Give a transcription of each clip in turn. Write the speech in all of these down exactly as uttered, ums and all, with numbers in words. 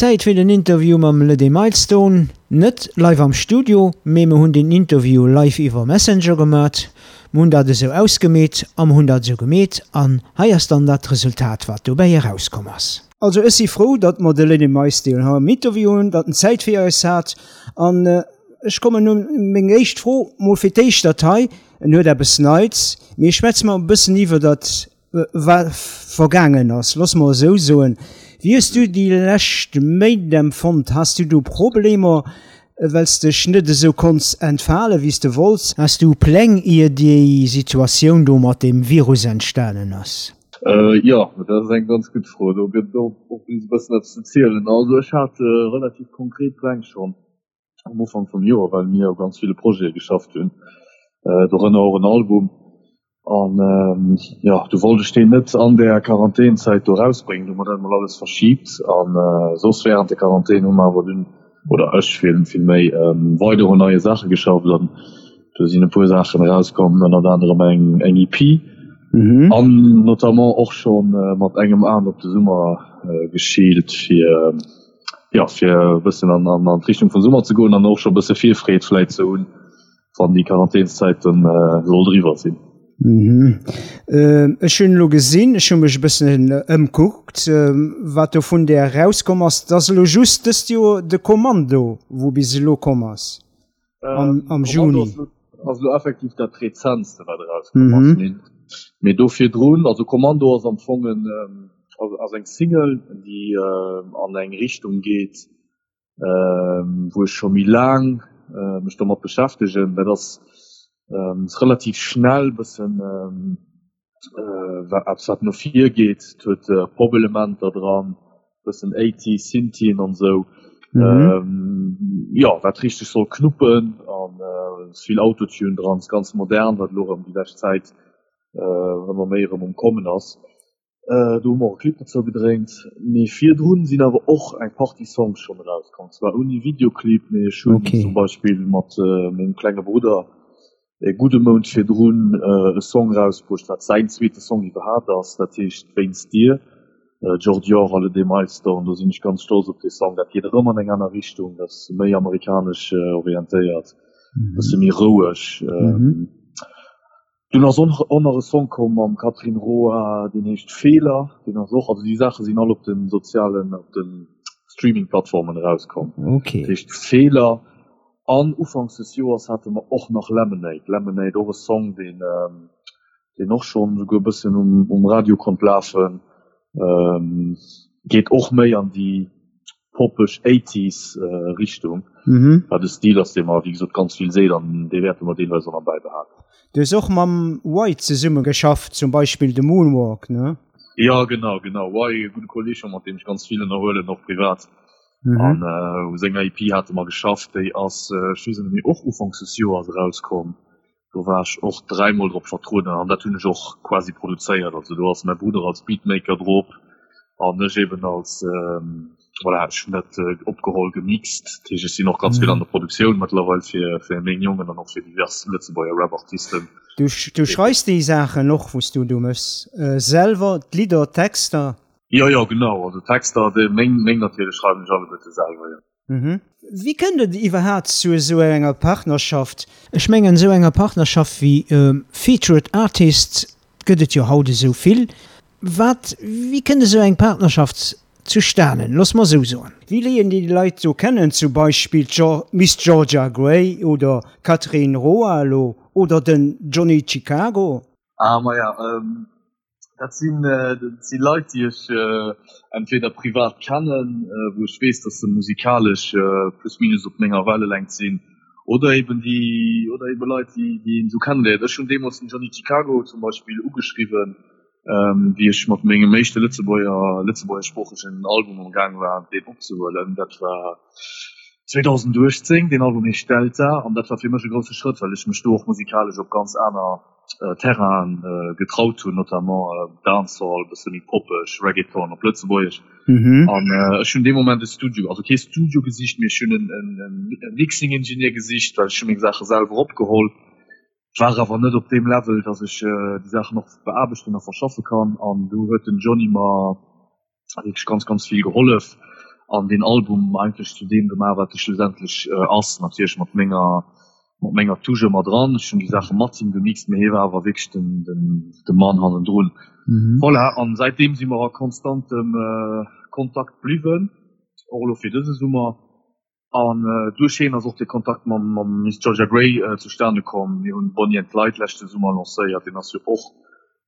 Zäit fir den Interview mam Le Milestone. Net live am Studio, mee mir hunn den Interview live iwwer Messenger gemat. Mir hunn dat esou ausgemeet a mir hunn dat esou gemeet an hei ass dann dat Resultat, wat dobäi erauskomm ass. Also ech si frou, datt mer de Le Milestone hei am Interview hunn, datt en Zäit fir eis hat an ech kommen un meng éischt Fro mol fir d'éischt dat hei, en huet eppes Neits, mee schwätze mer e bëssen iwwer dat wat vergaangen ass, looss mer esou soen. Wéi hues du déi lescht Méint empfonnt? Has du do Problemer, well s dech net esou konns entfale wéi s de wollts? Has du Pläng ier déi Situatioun do mat deem Virus entstanen ass? Jo, dat ass eng ganz gutt Fro. Do gëtt et och e bëssen eppes ze zielen. Also ech hat relativ konkret Pläng schonn am Ufank vum Joer, well mir u ganz ville Projete geschafft hunn, dorënner och en Album. An jo, du wollt ech deen net an där Quarantänzäit do erausbréngen, du hu mer dat emol alles verschiibt. An soss wärend der Quarantän hu mer awer dunn, oder ech vill vill méi, weider un neie Saache geschafft an do sinn e puer Saachen erauskomm, ënnert anerem eng eng E P an notamment och scho mat engem Aen op de Summer geschielt, fir jo fir e bëssen an an d'Richtung vum Summer ze goen an och scho e bësse Virfreed vläit ze hunn, wann déi Quarantänszäit dann sollt eriwwer sinn. Ech hunn elo gesinn, ech hu mech e bëssen ëmkuckt, wat do vun där erauskomm ass. Et ass elo just dëst Joer de Kommando, wou bis elo komm ass am Juni. Ass elo effektiv dat rezentste wat erauskomm ass. Mee do virdrun, also Kommando ass am Fong en, ass eng Single, déi an eng Richtung geet, wou ech scho méi laang mech domat beschäftegen. Dat ass relativ schnell, bëssen eppes wat no vir geet. Et huet Pop-Elementer dran, bëssen Eighties, Synthien an esou. Jo, wat richteg soll knuppen an ass vill Autotune dran, ass ganz modern, wat elo erëm déi lescht Zäit ëmmer méi erëm um Kommen ass. Do hu mer och e Clip dozou gedréint. Mee virdrun sinn awer och eng Partie Songs schonn erauskomm. Zwar ouni Videoclip, mee ech hunn zum Beispill mat mengem klenge Brudder e gudde Mount virdrun e Song erausbruecht, wat säin zweete Song iwwerhaapt ass. Dat heescht Wéinst dir, Jordior a Le Day Milestone. Do sinn ech ganz stolz op dee Song. Dat geet erëm an eng aner Richtung, dat ass méi amerikanesch orientéiert, e bësse méi roueg. Dunn ass och nach e Song komm mam Catherine Roa, deen heescht Feeler. Deen ass och, also déi Saache sinn all op de sozialen, op de Streaming-Plattformen erauskomm. Okay. Dat heescht Feeler. An ufanks des Joers hate mer och nach Lemonade. Lemonade, och e Song, deen, deen och schonn esouguer e bëssen um, um Radio konnt lafen. Geet och méi an déi poppeg Eighties Richtung, wat e Stil ass, dee mer wéi gesot ganz vill seet an dee wäerte mer deelweis och nach bäibehalen. Du hues och mam Y zesumme geschafft, zum Beispill de Moonwalk, ne? Jo, genau, genau. Y, e gudde Kolleeg scho, mat deem ech ganz vill ënnerhuelen, och privat. An u senger E P hate mer geschafft, déi ass, ech weess et net méi, och ufanks des Joers erauskomm. Do war ech och dräimol drop vertrueden an dat hunn ech och quasi produzéiert. Also do ass mäi Brudder als Beatmaker drop an ech eben als, voilà, ech hunn dat opgeholl, gemixt. Dat heescht, ech sinn och ganz vill an der Produktioun mëttlerweil fir, fir meng Jongen an och fir divers Lëtzebuerger Rap-Artisten. Du, du schreifs déi Saachen och, wou s du do méchs, selwer, d'Lidder, d'Texter? Jo, jo, genau. Also d'Texter, déi meng, meng natierlech schreiwen ech alleguerte selwer, jo. Wéi kënnt et iwwerhaapt zu esou enger Partnerschaft? Ech mengen, esou enger Partnerschaft wéi Featured Artists gëtt et jo haut esou vill. Wat, wéi kënnt esou eng Partnerschaft zustanen? Looss mer esou soen. Wéi léieren déi Leit do kennen, zum Beispill d'Miss Georgia Grey oder d'Catherine Roa elo oder den Johnny Chicago? Ah, maja, Dat sinn, dat si Leit, déi ech entweder privat kennen, wou ech weess, datt se musikalesch plus minus op menger Wellelängt sinn, oder eben déi, oder ebe Leit, déi, déi een esou kenneléiert. Ech hunn deemools den Johnny Chicago zum Beispill ugeschriwwen, wéi ech mat mengem éischte Lëtzebuerger, lëtzebuergeschsproochegen Album am Gaang war, deen opzehuelen. Dat war zweedausenduechtzéng. Deen Album heescht Delta an dat war fir mech e grousse Schrëtt, well ech mech do och musikalesch op ganz aner Terrainen getraut hunn, notamment Dancehall, bësse méi poppeg, Reggaeton op Lëtzebuergesch. An ech hunn dee Moment e Studio, also kee Studio gesicht, mee ech hunn e Mixing Engineer gesicht, well ech hu meng Saache selwer opgeholl, war awer net op deem Level, datt ech déi Saachen och beaarbechten a verschaffe kann. An do huet den Johny mer wierklech ganz ganz vill gehollef an deen Album eigentlech zu deem gemaach, wat e schlussendlech ass. Natierlech mat menger mat menger Touche ëmmer dran. Ech hunn déi Saache mat him gemixt, mee hie war awer wierklech den den de Mann hannendrun. Voilà, an säitdeem si mer a konstantem Kontakt bliwwen, och elo fir dëse Summer. An duerch hien ass och de Kontakt mam mam Miss Georgia Grey zustane komm. Mir hunn Bonnie and Clyde leschte Summer lancéiert, deen ass jo och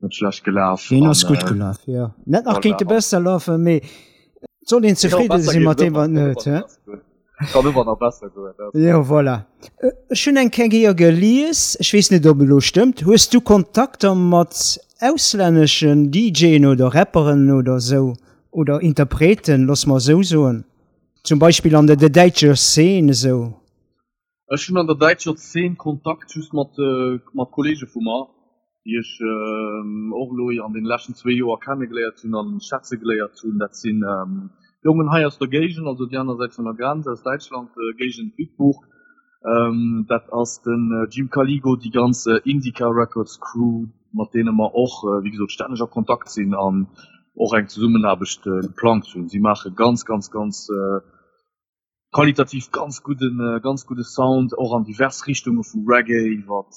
net schlecht gelaf. Deen ass gutt gelaf, jo. Net nach kéinte besser lafen, mee et soll een zefridde si mat deem, wat en huet, he? Kann ëmmer nach besser goen, dat. Jo, voilà. Ech hunn eng Kéier gelies, ech weess net, ob et elo stëmmt, hues du Kontakter mat auslänneschen DJen oder Rapperen oder esou, oder Interpreten, looss mer esou soen? Zum Beispill an der däitscher Szene esou? Ech hunn an der däitscher Szene Kontakt just mat mat Kollege vu mer, déi ech och elo an deene leschten zwee Joer kennegeléiert hunn an schätze geléiert hunn. Dat sinn Jongen hei aus der Géigend, also déi aner Säit vun der Grenz, aus Däitschland, Géigend Bitburg. Dat ass den Jim Caligo, déi ganz Indica Records Crew, mat deene mer och wéi gesot stänneg a Kontakt sinn an och eng Zesummenaarbecht geplangt hunn. Si maache ganz, ganz, ganz qualitativ ganz gudden, ganz gudde Sound, och an divers Richtunge vu Reggae iwwer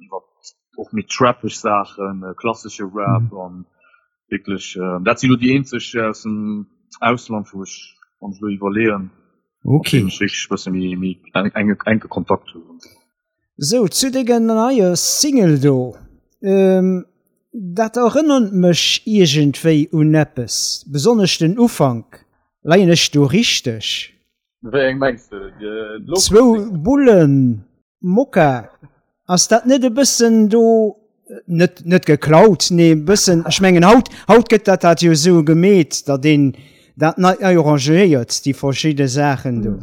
iwwer och méi trappeg Saachen, klassesche Rap an wierklech dat sinn elo déi eenzeg aus dem Ausland, wou ech, wann ech elo iwwerleeën, mat deenen ech wierklech e bësse méi méi enke Kontakt hunn. Sou, zu denger neier Single do. Dat erënnert mech iergendwéi un eppes, besonnesch den Ufank. Leien ech do richteg? Wéi eng mengs de? Zwou Bullen Mokka, ass dat net e bëssen do, net net geklaut, nee e bëssen, ech mengen haut, haut gëtt dat dat jo esou gemeet, datt een dat nei arrangéiert, déi verschidde Saachen do.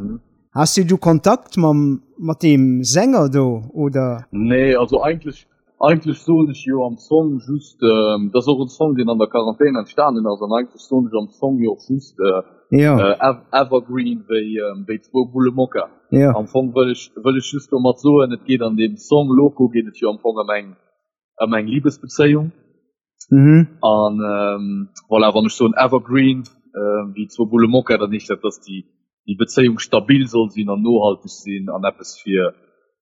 Has du do Kontakt mam mat deem Sänger do, oder? Nee, also eigentlech Eigentlech soen ech jo am Song just, dat ass och en Song deen an der Quarantän entstanen ass, an eigentlech soen ech am Song jo och just Evergreen wéi zwou Bulle Mokka. Am Fong wëll ech wëll ech just domat soen, et geet an deem Song Loco geet et jo am Fong ëm eng ëm eng Libesbezéiung. An voilà, wann ech soen Evergreen wéi zwou Bulle Mokka, dann heescht dat, dass déi déi Bezéiung stabil soll sinn an nohalteg sinn an eppes fir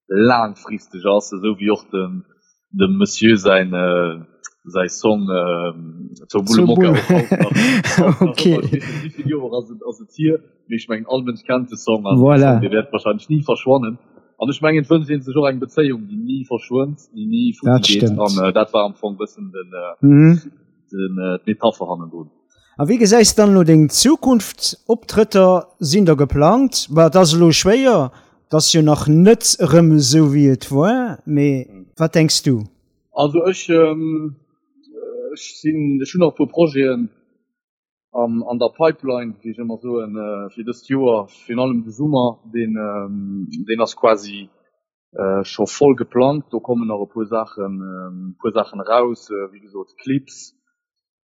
laangfristeg ass, esou wéi och dem dem Monsieur säin säi Song Zur Bulle Mokka och haut nach haut nach ëmmer, ech weess net wéi vill Joer ass et ass et hier, mee ech mengen all Mënsch kennt de Song an dee Song dee wäert wahrscheinlech ni verschwannen an ech mengen et wënscht ee sech och eng Bezéiung déi ni verschwënnt, déi ni futti geet an dat war am Fong bëssen den den d'Metapher hannendrun. A wéi gesäis dann elo deng Zukunft? Optrëtter sinn der geplangt? Bah, et ass elo schwéier, et ass jo nach net erëm esou wéi et war, mee wat denks du? Also ech, ech sinn, ech hunn nach e puer Projeten an an der Pipeline, wéi ech ëmmer soen, fir dëst Joer, virun allem de Summer, deen deen ass quasi scho voll geplangt. Do kommen nach e puer Saachen, e puer Saachen eraus, wéi gesot Clips,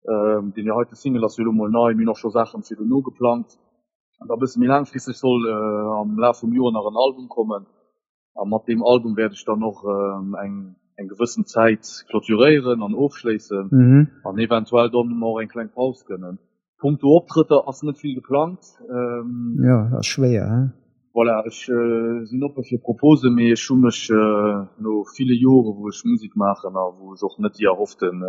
Deen heite Single ass jo elo mol nei, mir hunn och scho Saachen fir dono geplangt. An da bësse méi laangfristeg soll am Laf vum Joer nach en Album kommen. A mat deem Album wäert ech dann och eng eng gewëssen Zäit clôturéieren an ofschléissen an eventuell dann och eng kleng Paus gënnen. Punkto Optrëtter ass net vill geplangt. Jo, ass schwéier, he? Voilà, ech sinn oppe fir Proposen, mee ech hu mech no ville Jore wou ech Musek maachen a wou ech och net déi erhofften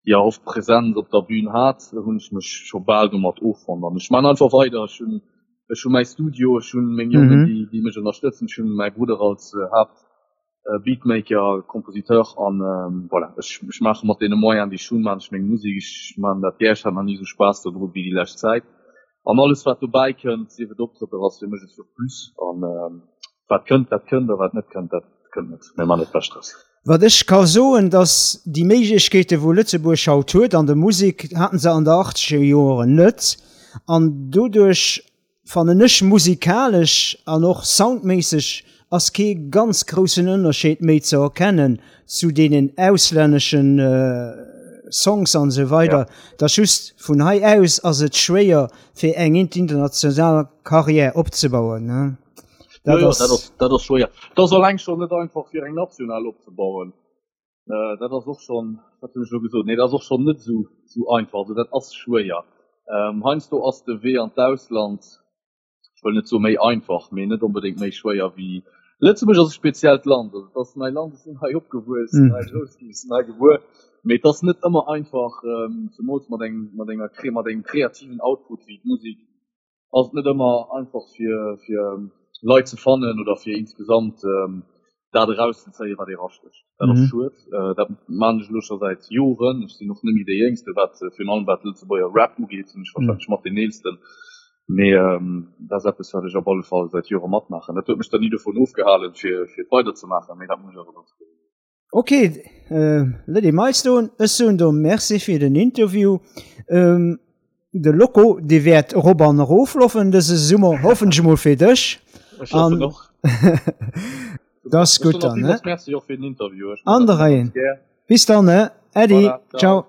déi erhofft Präsenz op der Bühn hat, hunn ech mech scho bal domat offonnt an ech man einfach weider. Ech hunn ech hu mäi Studio, ech hunn meng Jongen, déi déi mech ënnerstëtzen, ech hunn mäi Brudder als Haapt Beatmaker, Kompositeur an voilà, ech ech maache mat deene Moyenen déi ech hunn, maan ech meng Musek. Ech maan dat gär, ech hat nach ni esou Spaass dodru wéi déi lescht Zäit an alles wat dobäi kënnt, sief et Optrëtter, ass fir mech e Surplus an wat kënnt, dat kënnt a wat net kënnt, dat kënnt net. Mir man dat Bescht draus. Wat ech ka soen, dass déi Méiglechkeete wou Lëtzebuerg haut huet an der Musek, haten se an der achtzeger Joren net. An doduerch fannen ech musikalesch an och soundméisseg ass kee ganz groussen Ënnerscheed méi ze erkennen zu deenen auslänneschen Songs an esou weider. Et ass just vun hei aus ass et schwéier fir eng international Carrière opzebauen. Dat ja, ass, ja, dat ass, dat ass schwéier. Dat ass alleng schon net einfach fir eng national opzebauen. Äh, dat ass och schon, wat hunn ech elo gesot? Nee, dat ass och schon net sou, sou einfach. Also dat ass schwéier. Heiansdo ass de Wee an d'Ausland, ech wëll net soe méi einfach, mee net onbedéngt méi schwéier wéi Lëtzebuerg ass e speziellt Land. Also et ass mäi Land, ech sinn hei opgewuess, sinn hei grouss ginn, sinn hei gebuer, mee et ass net ëmmer einfach, zemools mat engem, mat enger, mat engem kreativen Output wéi d'Musek, ass et net ëmmer einfach fir, fir Leit ze fannen oder fir insgesamt dat erauszezéien, wat ee rastécht. Dat ass schued. Dat maan ech elo scho säit Joren. Ech sinn och net méi dee Jéngste, wat virun allem wat Lëtzebuerger Rap ugeet, sinn ech warscheinlech mat deen Eelsten. Mee dat ass eppes, wat ech op alle Fall säit Jore matmaachen. Dat huet mech dann ni dovun ofgehalen, fir fir et weiderzemaachen, mee dat muss ech awer ganz kloer soen. Ok, Lady Milestone, ech soen der Merci fir den Interview. De Loco, dee wäert erop an erofloffen dëse Summer, hoffen ech emol fir dech. Ech hoffen och. Dat ass gutt dann, ne? Merci och fir den Interview. An der Reien. Bis dann, ne? Äddi, ciao.